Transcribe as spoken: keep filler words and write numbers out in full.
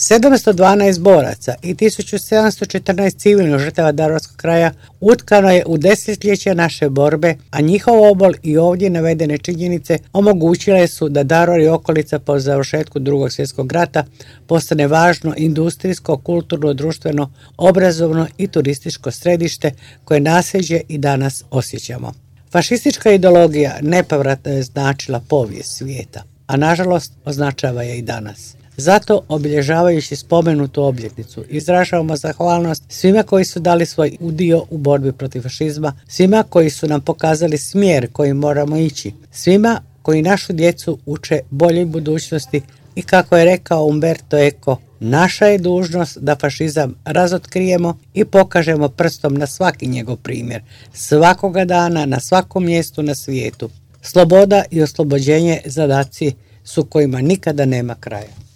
sedamsto dvanaest boraca i tisuću sedamsto četrnaest civilnih žrtava Daruvarskog kraja utkano je u desetljeća naše borbe, a njihov obol i ovdje navedene činjenice omogućile su da Daruvar i okolica po završetku Drugog svjetskog rata postane važno industrijsko, kulturno, društveno, obrazovno i turističko središte koje nasljeđe i danas osjećamo. Fašistička ideologija nepovratno je značila povijest svijeta, a nažalost označava je i danas. Zato, obilježavajući spomenutu obljetnicu, izražavamo zahvalnost svima koji su dali svoj udio u borbi protiv fašizma, svima koji su nam pokazali smjer kojim moramo ići, svima koji našu djecu uče boljoj budućnosti i, kako je rekao Umberto Eco, naša je dužnost da fašizam razotkrijemo i pokažemo prstom na svaki njegov primjer, svakoga dana, na svakom mjestu na svijetu. Sloboda i oslobođenje zadaci su kojima nikada nema kraja.